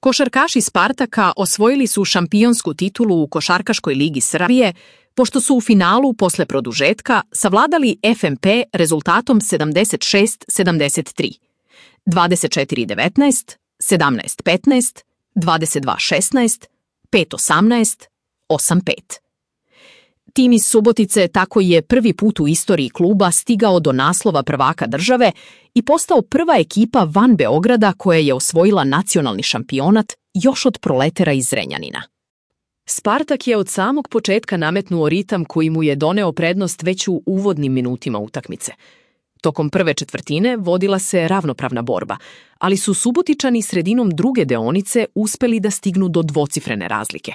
Košarkaši Spartaka osvojili su šampionsku titulu u Košarkaškoj ligi Srbije, pošto su u finalu posle produžetka savladali FMP rezultatom 76-73, 24-19, 17-15, 22-16, 5-18, 8-5. Tim iz Subotice tako je prvi put u istoriji kluba stigao do naslova prvaka države i postao prva ekipa van Beograda koja je osvojila nacionalni šampionat još od Proletera iz Zrenjanina. Spartak je od samog početka nametnuo ritam koji mu je doneo prednost već u uvodnim minutima utakmice. Tokom prve četvrtine vodila se ravnopravna borba, ali su Subotičani sredinom druge deonice uspeli da stignu do dvocifrene razlike.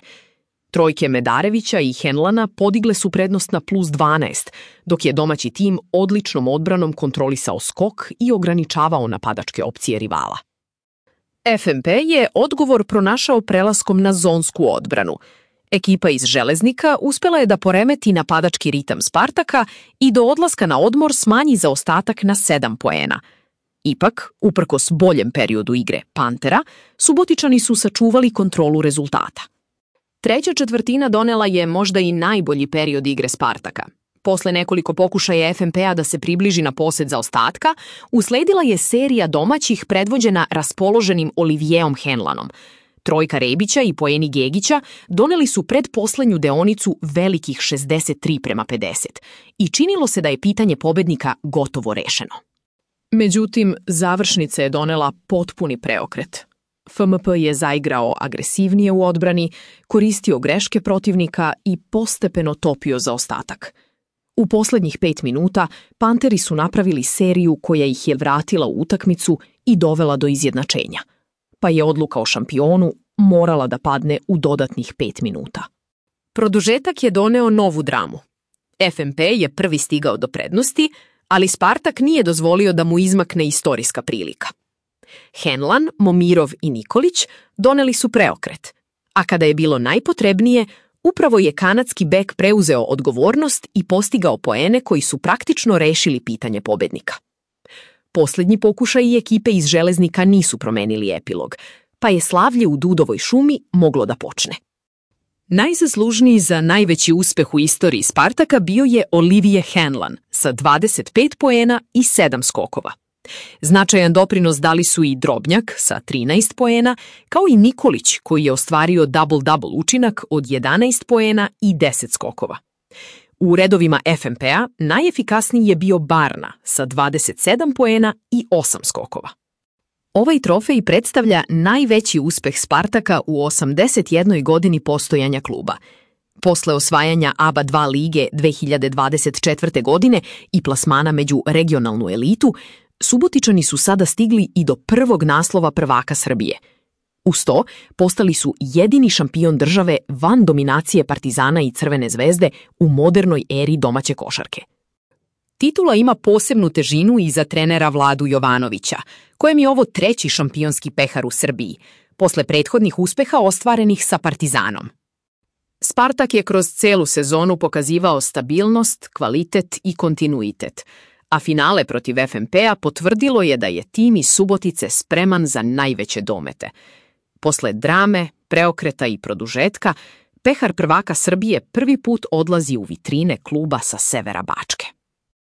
Trojke Medarevića i Henlana podigle su prednost na plus 12, dok je domaći tim odličnom odbranom kontrolisao skok i ograničavao napadačke opcije rivala. FMP je odgovor pronašao prelaskom na zonsku odbranu. Ekipa iz Železnika uspela je da poremeti napadački ritam Spartaka i do odlaska na odmor smanji zaostatak na 7 poena. Ipak, uprkos boljem periodu igre Pantera, Subotičani su sačuvali kontrolu rezultata. Treća četvrtina donela je možda i najbolji period igre Spartaka. Posle nekoliko pokušaja FMP-a da se približi na posed zaostatka, usledila je serija domaćih predvođena raspoloženim Olivijeom Henlanom. Trojka Rebića i poeni Gegića doneli su predposlednju deonicu velikih 63-50 i činilo se da je pitanje pobednika gotovo rešeno. Međutim, završnica je donela potpuni preokret. FMP je zaigrao agresivnije u odbrani, koristio greške protivnika i postepeno topio zaostatak. U poslednjih 5 minuta Panteri su napravili seriju koja ih je vratila u utakmicu i dovela do izjednačenja, pa je odluka o šampionu morala da padne u dodatnih 5 minuta. Produžetak je doneo novu dramu. FMP je prvi stigao do prednosti, ali Spartak nije dozvolio da mu izmakne istorijska prilika. Henlan, Momirov i Nikolić doneli su preokret, a kada je bilo najpotrebnije, upravo je kanadski bek preuzeo odgovornost i postigao poene koji su praktično rešili pitanje pobednika. Poslednji pokušaj ekipe iz Železnika nisu promenili epilog, pa je slavlje u Dudovoj šumi moglo da počne. Najzaslužniji za najveći uspeh u istoriji Spartaka bio je Olivier Henlan sa 25 poena i 7 skokova. Značajan doprinos dali su i Drobnjak sa 13 poena, kao i Nikolić koji je ostvario double-double učinak od 11 poena i 10 skokova. U redovima FMP-a najefikasniji je bio Barna sa 27 poena i 8 skokova. Ovaj trofej predstavlja najveći uspeh Spartaka u 81. godini postojanja kluba. Posle osvajanja ABA 2 lige 2024. godine i plasmana među regionalnu elitu, Subotičani su sada stigli i do prvog naslova prvaka Srbije. Uz to, postali su jedini šampion države van dominacije Partizana i Crvene zvezde u modernoj eri domaće košarke. Titula ima posebnu težinu i za trenera Vladu Jovanovića, kojem je ovo treći šampionski pehar u Srbiji, posle prethodnih uspeha ostvarenih sa Partizanom. Spartak je kroz celu sezonu pokazivao stabilnost, kvalitet i kontinuitet, a finale protiv FMP-a potvrdilo je da je tim iz Subotice spreman za najveće domete. Posle drame, preokreta i produžetka, pehar prvaka Srbije prvi put odlazi u vitrine kluba sa severa Bačke.